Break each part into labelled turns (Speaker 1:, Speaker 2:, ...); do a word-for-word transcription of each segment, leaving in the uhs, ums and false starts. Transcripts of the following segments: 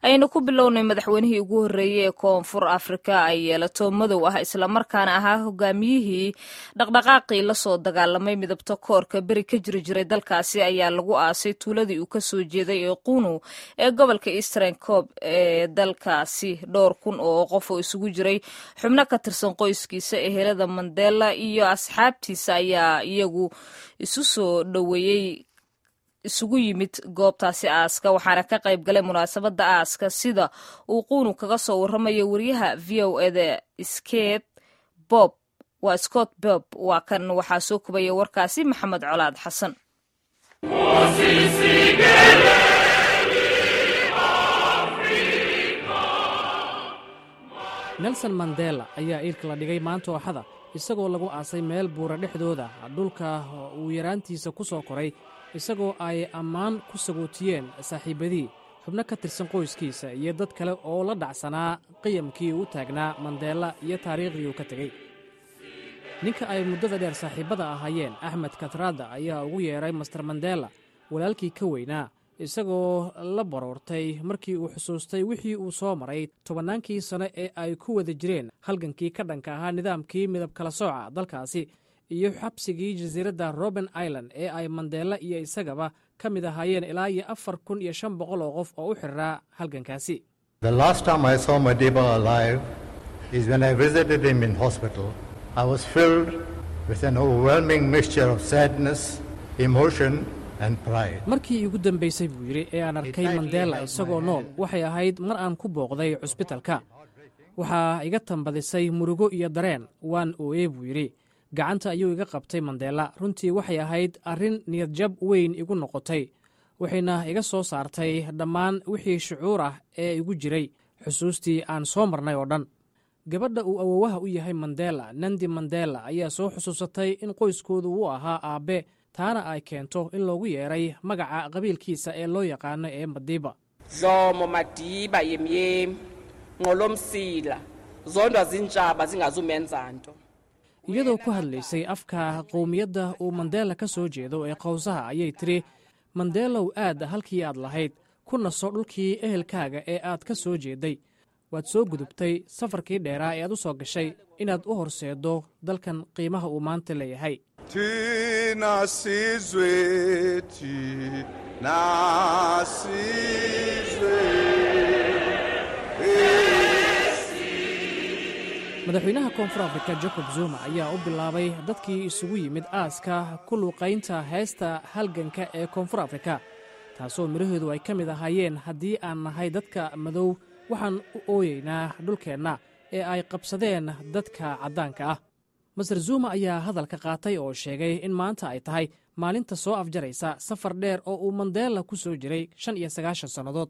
Speaker 1: Aynu ku bilownay madaxweynihii ugu horreeyey ee Koonfur Afrika ay yeelato madow ah, islamarkaana ahaa hogaamiyihii dhaqdhaqaaqii lasoo dagaalamay midabta koorka beri ka jiri jiray dalkaasi, ayaa lagu aasay tuuladii uu kasoo jeeday ee Qunu ee gobolka Eastern Cape ee dalkaasi. Dhowr kun oo qof oo isugu jiray xubno ka tirsan qoyskiisa, ehelada Mandela iyo asxaabtiisa ayaa iyagu isu soo dhoweeyey, isugu yimid goobtaasi aaska, waxaana ka qayb galay munaasabadda aaska, sida uu Quunu kaga soo warramaya wariyaha V O E da Sket Bob. Waa Scott Bob, waa kan. Waxaa soo kubaya warkaasi Maxamed Colaad Xasan.
Speaker 2: Nelson Mandela ayaa iilka la dhigay maanta oo Axada, isagoo lagu aasay meel buura dhexdooda, dhulka uu yaraantiisa ku soo koray, isagoo ay ammaan ku sagootiyeen saaxiibbadii, xubno ka tirsan qoyskiisa iyo dad kale oo la dhacsanaa qiyamkii uu taagnaa Mandela iyo taariikhdii uu ka tegey. Ninka ay muddada dheer saaxiibbada ahaayeen, Axmed Kathrada, ayaa ugu yeedhay Mister Mandela walaalkii ka weynaa, isagoo la baroortay markii uu xusuustay wixii uu soo maray tobannaankii sano ee ay ku wada jireen halgankii ka dhanka ahaa nidaamkii midab kala sooca dalkaasi iyo xabsigii jasiiradda Robben Island ee ay Mandela iyo isagaba ka mid ahaayeen ilaa iyo afar kun iyo shan boqol oo qof oo u xiriraa halgankaasi.
Speaker 3: The last time I saw Madiba alive is when I visited him in hospital. I was filled with an overwhelming mixture of sadness, emotion, and pride.
Speaker 2: "Markii iigu dambaysay," buu yidhi, "ee aan arkay Mandela isagoo nool waxay ahayd mar aan ku booqday cusbitalka. Waxaa iga tambadisay murugo iyo dareen. Waan ooyey," buu yidhi. "Gacanta ayuu iga qabtay Mandela. Runtii waxay ahayd arrin niyadjab weyn igu noqotay, waxayna iga soo saartay dhammaan wixii shucuur ah ee igu jiray, xusuustii aan soo marnay oo dhan." Gabadha uu awowaha u yahay Mandela, Nandi Mandela, ayaa soo xusuusatay in qoyskoodu uu ahaa aabbe, taana ay keento in loogu yeeray magaca qabiilkiisa ee loo yaqaano ee Madiba.
Speaker 4: Dlomo Madiba yemyemi nqolomsila zondwa zintshaba zingazumenza nto.
Speaker 2: Iyadoo ku hadlaysay afka qowmiyadda uu Mandela ka soo jeedo ee Qowsaha ayay tiri: "Mandelow, aad halkii aad lahayd, ku naso dhulkii ehelkaaga ee aad ka soo jeeday. Waad soo gudubtay safarkii dheeraa ee aad u soo gashay inaad u horseeddo dalkan qiimaha uu maanta leeyahay."
Speaker 5: Thina sizwe, thina sizwe.
Speaker 2: Madaxweynaha Koonfur Afrika Jacob Zuma ayaa u bilaabay dadkii isugu yimid aaska ku luuqaynta heesta halganka ee Koonfur Afrika, taasoo midhaheedu ay ka mid ahaayeen: "Haddii aan nahay dadka madow, waxaan u ooyeynaa dhulkeenna ee ay qabsadeen dadka caddaanka ah." Mister Zuma ayaa hadalka qaatay oo sheegay in maanta ay tahay maalinta soo afjaraysa safar dheer oo uu Mandela ku soo jiray shan iyo sagaashan sannadood,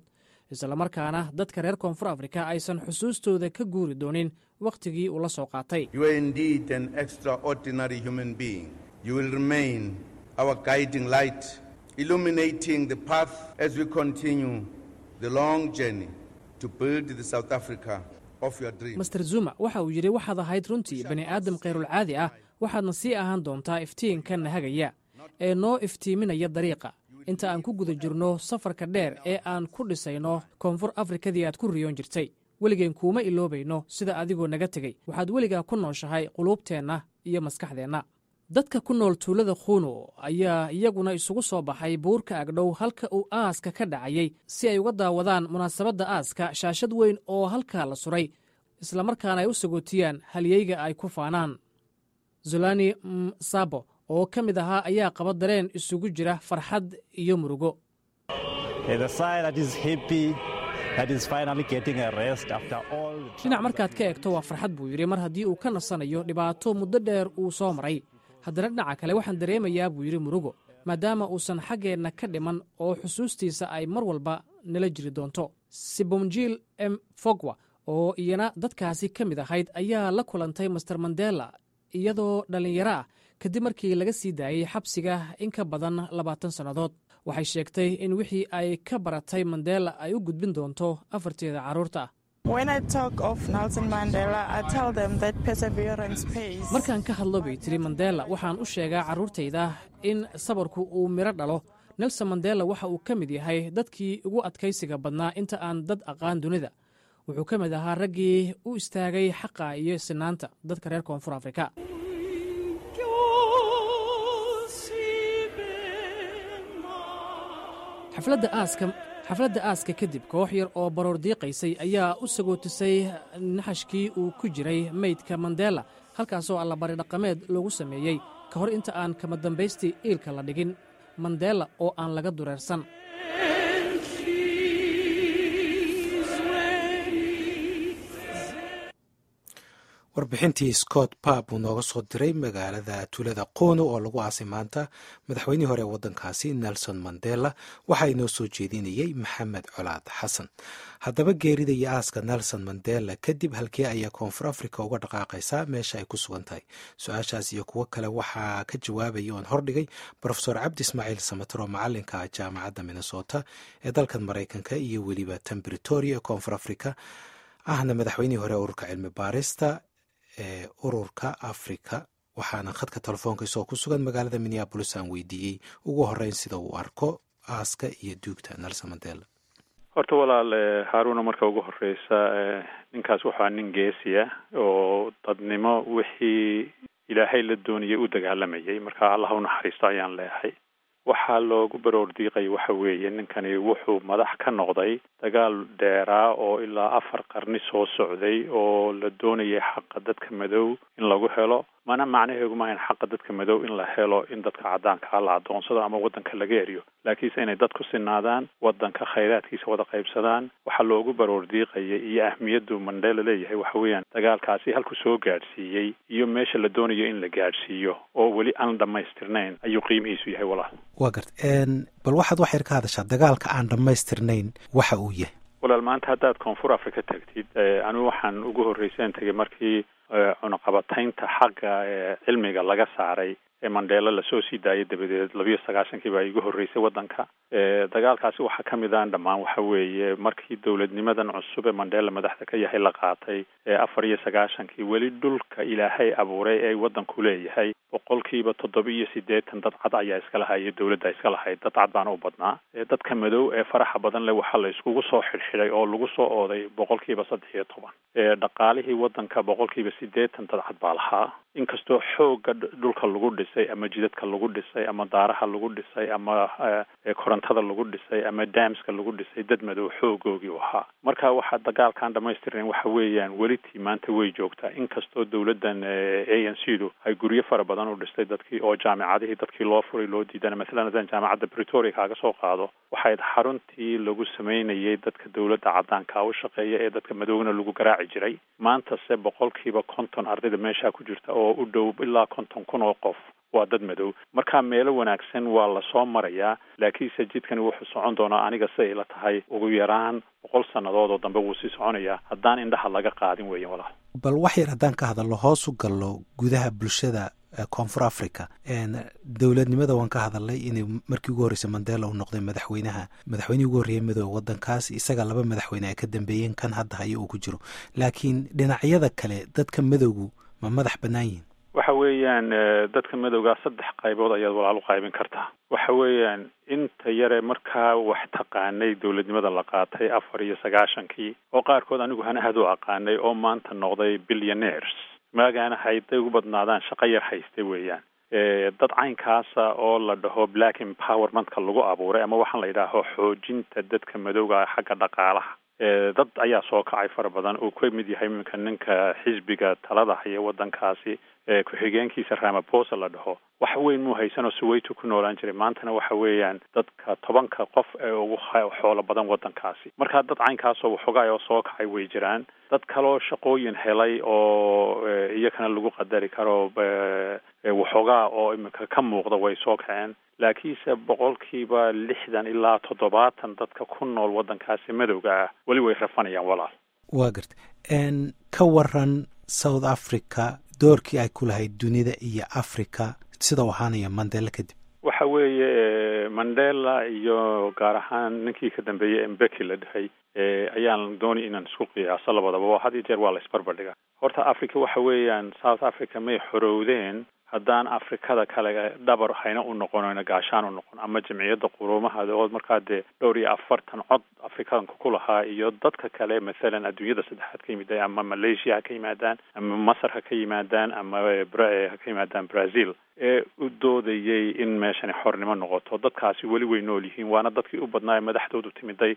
Speaker 2: islamarkaana dadka reer Koonfur Afrika aysan xusuustooda ka guuri doonin wakhtigii uu la soo qaatay.
Speaker 5: You are indeed an extraordinary human being. You will remain our guiding light, illuminating the path as we continue the long journey to build the South Africa of your dreams.
Speaker 2: Mister Zuma waxa uu yidhi: "Waxaad ahayd runtii bani aadam khayrulcaadi ah, waxaadna sii ahaan doontaa iftiinka nahagaya ee noo iftiiminaya dariiqa inta aan ku guda jirno safarka dheer ee aan ku dhisayno Koonfur Afrikadii aad ku riyoon jirtay. Weligeen kuuma iloobayno sida adigoo naga tegey. Waxaad weligaa ku nooshahay quluubteenna iyo maskaxdeenna." Dadka ku nool tuulada Khuno ayaa iyaguna isugu soo baxay buurka agdhow halka uu aaska ka dhacayay, si ay uga daawadaan munaasabadda aaska shaashad weyn oo halkaa la suray, islamarkaana ay u sagootiyaan halyeyga ay ku faanaan. Zulani Msabo oo ka mid ahaa ayaa qaba dareen isugu jira farxad iyo murugo. "Dhinac markaad ka eegto waa farxad," buu yidhi, "mar haddii uu ka nasanayo dhibaato muddo dheer uu soo maray. Haddana dhinaca kale waxaan dareemayaa," buu yidhi, "murugo, maadaama uusan xaggeenna ka dhiman oo xusuustiisa ay mar walba nala jiri doonto." Sibonjil M Fogwa oo iyana dadkaasi ka mid ahayd ayaa la kulantay Mister Mandela iyadoo dhallinyaro ah, kadib markii laga sii daayey xabsiga in ka badan labaatan sannadood. Waxay sheegtay in wixii ay ka baratay Mandela ay u gudbin doonto afarteeda carruurta ah. "Markaan ka hadlo," bay tiri, "Mandela, waxaan u sheegaa carruurtayda in sabarku uu midho dhalo. Nelson Mandela waxa uu ka mid yahay dadkii ugu adkaysiga badnaa inta aan dad aqaan dunida. Wuxuu ka mid ahaa raggii u istaagay xaqa iyo sinaanta dadka reer Koonfur Afrika. Xafladda aaska xafladda aaska kadib, koox yar oo baroor diiqaysay ayaa u sagootisay naxashkii uu ku jiray meydka Mandela, halkaasoo allabari dhaqameed loogu sameeyey ka hor inta aan kama dambaystii iilka la dhigin Mandela oo aan laga dureersan.
Speaker 6: Warbixintii Scott Pap uu nooga soo diray magaalada tuulada Qono oo lagu aasay maanta madaxweynihii hore ee waddankaasi Nelson Mandela, waxaa inoo soo jeedinayey Maxamed Colaad Xasan. Haddaba geerida iyo aaska Nelson Mandela kadib, halkee ayaa Koonfur Africa uga dhaqaaqaysaa meesha ay ku sugan tahay? Su-aashaas iyo kuwo kale waxaa ka jawaabaya oon hordhigay Brofesor Cabdi Ismaaciil Samatar oo macalinka Jaamacadda Minnesota ee dalkan Maraykanka iyo weliba tan Pretoria ee Koonfur Africa, ahna madaxweynihii hore ururka cilmi baarista ee ururka Africa. Waxaana khadka telefoonka isagoo ku sugan magaalada Minneapolis aan weydiiyey ugu horeyn sida uu arko aaska iyo duugta Nelson Mandela.
Speaker 7: Horta walaal Haaruna, marka ugu horeysa, ninkaas waxaa nin geesiya oo dadnimo wixii Ilaahay la doonayay u dagaalamayay. Marka Allah u naxariisto ayaan leeyahay. Waxaa loogu baroor diiqay waxa weeye, ninkani wuxuu madax ka noqday dagaal dheeraa oo ilaa afar qarni soo socday oo la doonayay xaqa dadka madow in lagu helo. Mana macnaheegu maahayn xaqa dadka madow in la helo in dadka caddaankaa la adoonsado ama waddanka laga eriyo, laakiinse inay dadku sinaadaan, waddanka khayraadkiisa wada qaybsadaan. Waxaa loogu baroor diiqaya iyo ahmiyaddu Mandela leeyahay waxa weeyaan dagaalkaasi halku soo gaadhsiiyey iyo meesha la doonayo in la gaadhsiiyo oo weli aan dhammaystirnayn ayuu qiimihiisu yahay, walaal.
Speaker 6: Waa garta. Bal waxaad wax yar ka hadashaa dagaalka aan dhammaystirnayn waxa uu yahay.
Speaker 7: Walaal, maanta haddaad Koonfur Africa tagtid, anigu waxaan ugu horreysaan tegay markii cunaqabataynta xagga cilmiga laga saaray ee Mandela lasoo sii daayay dabadeed, labiyo sagaashankii baa igu horreysay waddanka. Dagaalkaasi waxaa ka mid aan dhammaan waxa weeye markii dowladnimadan cusub ee Mandela madaxda ka yahay la qaatay afar iyo sagaashankii, weli dhulka Ilaahay abuuray ee waddanku leeyahay boqolkiiba toddoba iyo siddeetan dad cad ayaa iska lahay, dowladda iska lahayd, dad cad baana u badnaa. Dadka madow ee faraxa badan leh waxaa la iskugu soo xidhxidhay oo lagu soo ooday boqolkiiba saddex iyo toban. Dhaqaalihii waddanka boqolkiiba siddeetan dad cad baa lahaa, inkastoo xoogga dhulka lagu dhisay ama jidadka lagu dhisay ama daaraha lagu dhisay ama korontada lagu dhisay ama damska lagu dhisay dad madow xoogoogii u ahaa. Marka waxaa dagaalkan dhamaystirnayn waxa weeyaan weli tii maanta way joogtaa, inkastoo dowladdan A N C du ay guryo fara badan u dhistay dadkii oo jaamicadihii dadkii loo furay loo diidana. Mathalan haddaan Jaamacadda Pretoria kaaga soo qaado, waxayd xaruntii lagu sameynayay dadka dowladda caddaanka u shaqeeya ee dadka madowna lagu garaaci jiray. Maantase boqolkiiba konton ardayda meeshaa ku jirta oo u dhow ilaa konton kun oo qof waa dad madow. Marka meelo wanaagsan waa lasoo marayaa, laakiinse jidkani wuxuu socon doonaa, aniga siday ila tahay, ugu yaraan boqol sannadood oo dambe wuu sii soconayaa haddaan indhaha laga qaadin weeyan, walaal.
Speaker 6: Bal wax yar haddaan ka hadalno, hoos u gallo gudaha bulshada Koonfur Africa. Dowladnimada waan ka hadalnay inay markii ugu horreysay Mandela uu noqday madaxweynaha, madaxweynihii ugu horreeyay midooda waddankaas, isaga laba madaxweyne ay ka dambeeyeen, kan hadda hayo uu ku jiro. Laakiin dhinacyada kale dadka madowgu ma madax bannaan yihin?
Speaker 7: Waxa weeyaan dadka madowgaa saddex qaybood ayaad walaal u qaybin kartaa. Waxa weeyaan inta yare markaa wax taqaanay dowladnimada la qaatay afar iyo sagaashankii oo qaarkood anigu hanahad u aqaanay oo maanta noqday billionaires, maagaana hayday ugu badnaadaan shaqo yar haystay weeyaan. Dad caynkaasa oo la dhaho black empowermentka lagu abuuray ama waxaan la yidhaaho xoojinta dadka madowga xagga dhaqaalaha, dad ayaa soo kacay fara badan uu ka mid yahay iminka ninka xisbiga talada haya waddankaasi ku-xigeenkiisa Ramaphosa la dhaho. Wax weyn muu haysanoo Soweto ku noolaan jiray, maantana waxa weeyaan dadka tobanka qof ee ugu xoolo badan waddankaasi. Marka dad caynkaasoo waxoogaay oo soo kacay way jiraan. Dad kaloo shaqooyin helay oo iyakana lagu qadari karo waxoogaa oo iminka ka muuqda way soo kaceen, laakiinse boqolkiiba lixdan ilaa toddobaatan dadka ku nool waddankaasi madowga ah weli way rafanayaan, walaal.
Speaker 6: Waa garta. Ka waran South Africa doorkii ay ku lahayd dunida iyo Africa sida u ahaanaya Mandela kadib?
Speaker 7: Waxa weeye Mandela iyo gaar ahaan ninkii ka dambeeyey Mbeki la dhahay ayaan doonay inaan isku qiyaaso labadaba. Had iyo jeer waa la isbarbardhigaa. Horta Africa waxa weeyaan South Africa may xorowdeen Haddaan Afrikada kale dhabar hayna u noqonayno, gaashaan u noqon, ama Jamciyadda Quruumaha oo markaa dee dhowr iyo afartan cod Afrikaanka ku lahaa, iyo dadka kale, mathalan adduunyada saddexaad ka yimid, ama Malaysia ha ka yimaadaan, ama Masar ha ka yimaadaan, ama ha ka yimaadaan Brazil, ee u doodayay in meeshani xornimo noqoto, dadkaasi weli way nool yihiin. Waana dadkii u badnaa ee madaxdoodu timiday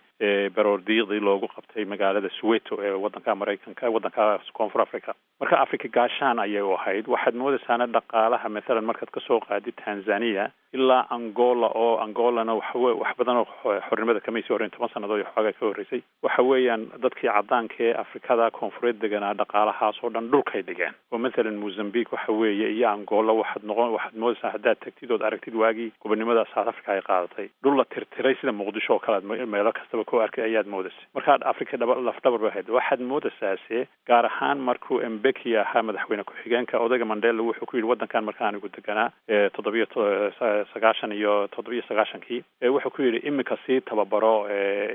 Speaker 7: baroordiiqdii loogu qabtay magaalada Soweto ee waddanka Maraykanka, waddanka Koonfur Africa. Marka Africa gaashaan ayay u ahayd. Waxaad moodaysaana dhaqaalaha, mathalan markaad kasoo qaadid Tanzania ilaa Angola, oo Angolana waxawe wax badan oo xornimada kamay sii horreyn, toban sannadood iyo xoogaa ka horreysay, waxa weeyaan dadkii caddaanka ee Afrikada Koonfureed deganaa dhaqaalahaas oo dhan dhulkay dhigeen. Oo mathalan Mozambique waxa weeye iyo Angola, waxaad noqon waxaad moodaysaa haddaad tagtid ood aragtid waagii gobonimada South Africa ay qaadatay, dhul la tirtiray sida Muqdisho oo kale aad meelo kastaba ku arkay ayaad moodaysa. Marka Africa dhaba lafdhabar bay ahayd. Waxaad moodaysaase gaar ahaan markuu Mbeki ahaa madaxweyne ku-xigeenka, odayga Mandela wuxuu ku yidhi waddankan marka anigu deganaa toddobiyo sagaashan iyo toddobiyo sagaashankii, wuxuu ku yidhi imika sii tababaro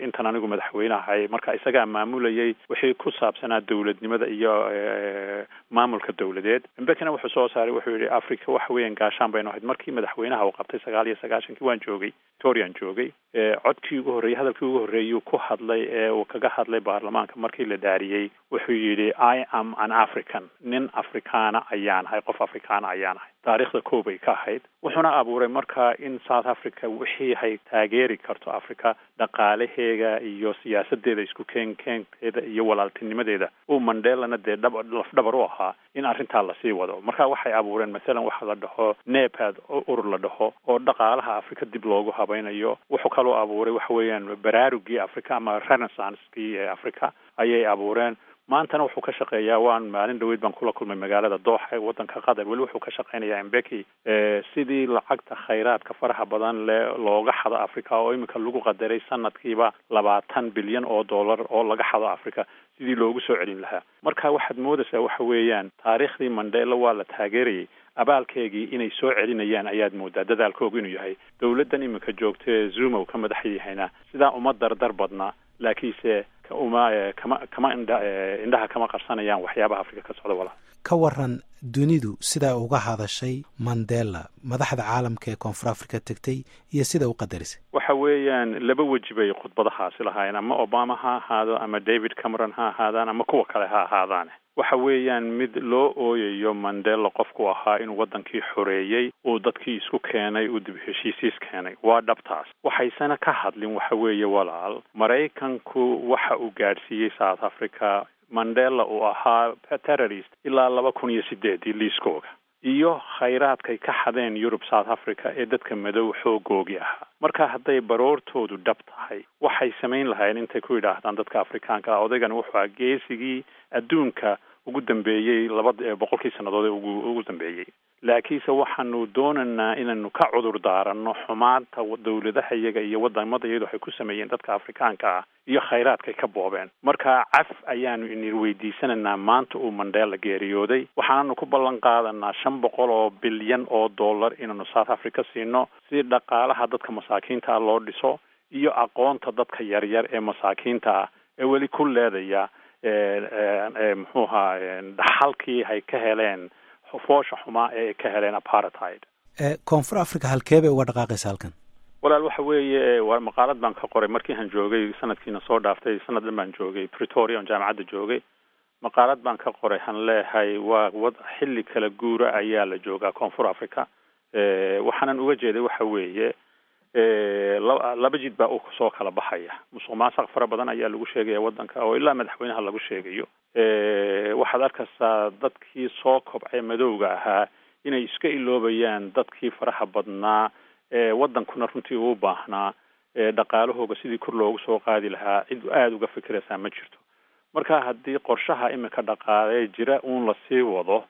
Speaker 7: intan anigu madaxweyne ahay. Marka isagaa maamulayay wixii ku saabsanaa dowladnimada iyo maamulka dowladeed. Mbekina wuxuu soo saaray, wuxuu yidhi Africa waxa weeyaan gaashaan baynu ahayd. Markii madaxweynaha uu qabtay sagaal iyo sagaashankii, waan joogay, Victorian joogay, codkii ugu horreeyey, hadalkii ugu horreeyuu ku hadlay ee uu kaga hadlay baarlamaanka markii la dhaariyey, wuxuu yidhi "I am an African", nin Afrikaana ayaan ahay, qof Afrikaana ayaan ahay. Taariikhda koobay ka ahayd. Wuxuuna abuuray marka in South Africa wixii hay taageeri karto Africa, dhaqaalaheega iyo siyaasadeeda, isku keenkeenkeeda iyo walaaltinimadeeda, uu Mandelana dee dhab lafdhabar u ahaa, in arrintaa lasii wado. Marka waxay abuureen mathalan waxa la dhaho NEPAD, urur la dhaho oo dhaqaalaha Africa dib loogu habaynayo. Wuxuu kaloo abuuray waxa weeyaan baraarugii Africa ama renaissancekii ee Africa ayay abuureen. Maantana wuxuu ka shaqeeyaa, waan maalin dhaweyd baan kula kulmay magaalada Dooxa ee waddanka Qatar, weli wuxuu ka shaqeynayaa Mbeki sidii lacagta khayraadka faraha badan le looga xado Africa, oo iminka lagu qadaray sanadkiiba labaatan bilyan oo dollar oo laga xado Africa, sidii loogu soo celin lahaa. Marka waxaad moodaysaa waxa weeyaan taariikhdii Mandela waa la taageerayay, abaalkeegii inay soo celinayaan ayaad moodaa dadaalkoogu inuu yahay. Dowladdan iminka joogta ee Zuma uu ka madax yahayna sidaa uma dardar badna, laakiinse uma kama kama indha indhaha kama qarsanayaan waxyaabaha Afrika ka socda, walaal.
Speaker 6: Ka waran dunidu sidaa uga hadashay Mandela, madaxda caalamka ee Koonfur Africa tegtay iyo sida u qadarisay?
Speaker 7: Waxa weeyaan laba weji bay khudbadahaasi lahaayeen, ama Obama ha ahaado, ama David Cameron ha ahaadaan, ama kuwa kale ha ahaadaan. Waxa weeyaan mid loo ooyayo Mandela qofku ahaa, inuu waddankii xoreeyey, uu dadkii isku keenay, uu dib heshiisiis keenay, waa dhabtaas. Waxaysana ka hadlin waxa weeye, walaal, Maraykanku waxa uu gaadhsiiyey South Africa, Mandela uu ahaa terrorist ilaa laba kun iyo sideedii liiskooga, iyo khayraadkay ka xadeen Yurub South Africa ee dadka madow xoogoogii ahaa. Marka hadday baroortoodu dhab tahay, waxay samayn lahaayeen intay ku yidhaahdaan dadka Afrikaanka ah, odaygan wuxuu ahaa geesigii adduunka ugu dambeeyey laba boqolkii sannadood ee ugu ugu dambeeyey, laakiinse waxaanu doonaynaa inaanu ka cudur daaranno xumaanta dowladaha iyaga iyo wadamada iyadu waxay ku sameeyeen dadka Afrikaanka ah iyo khayraadkay ka boobeen. Marka caf ayaanu inir weydiisanaynaa maanta uu Mandela geeriyooday, waxaananu ku ballan qaadanaa shan boqol oo bilyan oo dollar inaanu South Africa siino si dhaqaalaha dadka masaakiinta ah loo dhiso iyo aqoonta dadka yaryar ee masaakiinta ah ee weli ku leedaya muxuu ahaa dhaxalkii hay ka heleen foosha xumaa ee ay ka heleen apartheid.
Speaker 6: Koonfur Africa halkee bay uga dhaqaaqaysa halkan?
Speaker 7: Walaal, waxa weeye waa maqaalad baan ka qoray markii aan joogay sanadkiina soo dhaaftay. Sanad dhan baan joogay Pretoria oon jaamacadda joogay. Maqaalad baan ka qoray, han leehay waa wad xilli kala guura ayaa la joogaa Koonfur Africa. Waxaanan uga jeeday waxa weeye laba jid baa u soo kala baxaya. Musuq maasuq fara badan ayaa lagu sheegaya waddanka oo ilaa madaxweynaha lagu sheegayo. Waxaad arkaysaa dadkii soo kobcay madowga ahaa inay iska iloobayaan dadkii faraha badnaa ee waddankuna runtii uu baahnaa dhaqaalahooga sidii kor loogu soo qaadi lahaa. Cid aada uga fikiraysaa ma jirto. Marka haddii qorshaha imika dhaqaalee jira uun lasii wado,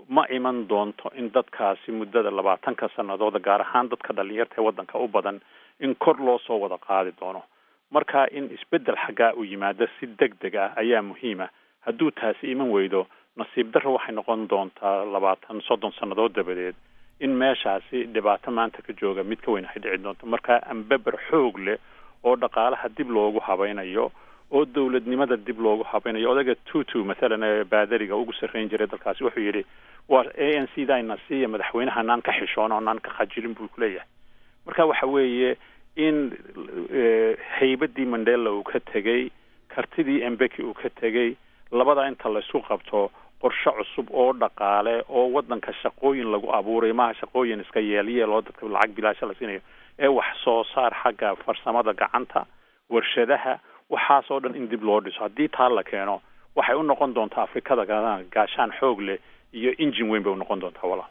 Speaker 7: ma iman doonto in dadkaasi muddada labaatanka sanadooda, gaar ahaan dadka dhalinyarta ee waddanka u badan, in kor loo soo wada qaadi doono. Marka in isbeddel xaggaa uu yimaado si deg deg ah ayaa muhiima. Hadduu taasi iman weydo, nasiib darro waxay noqon doontaa labaatan soddon sannadood dabadeed in meeshaasi dhibaato maanta ka jooga mid ka weyn ay dhici doonto. Marka ambeber xoog leh oo dhaqaalaha dib loogu habaynayo Oo dowladnimada dib loogu habaynayo. Odayga Tutu mathalan ee baadariga ugu sarreyn jiray dalkaasi wuxuu yidhi, "Waa A N C dayna siiya madaxweynaha, naan ka xishoon oo naan ka khajilin," buu kuleeyahay. Marka waxa weeye in haybadii Mandela uu ka tegey, kartidii Mbeki uu ka tegey, labada inta laysku qabto, qorshe cusub oo dhaqaale oo waddanka shaqooyin lagu abuurayo. Maaha shaqooyin iska yeelyeel oo dadka lacag bilaasha la siinayo, ee wax soo saar xagga farsamada gacanta, warshadaha, waxaasoo dhan in dib loo dhiso. Haddii taa la keeno, waxay u noqon doontaa Afrikada gaashaan xoog leh iyo injin weyn bay u noqon doontaa, walaal.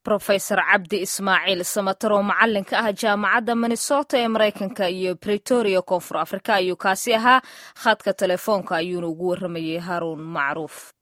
Speaker 1: Profesor Cabdi Ismaaciil Samatar oo macalinka ah Jaamacadda Minnesota ee Maraykanka iyo Pretoria, Koonfur Afrika, ayuu kaasi ahaa. Khadka telefoonka ayuuna ugu waramayey Haruun Macruuf.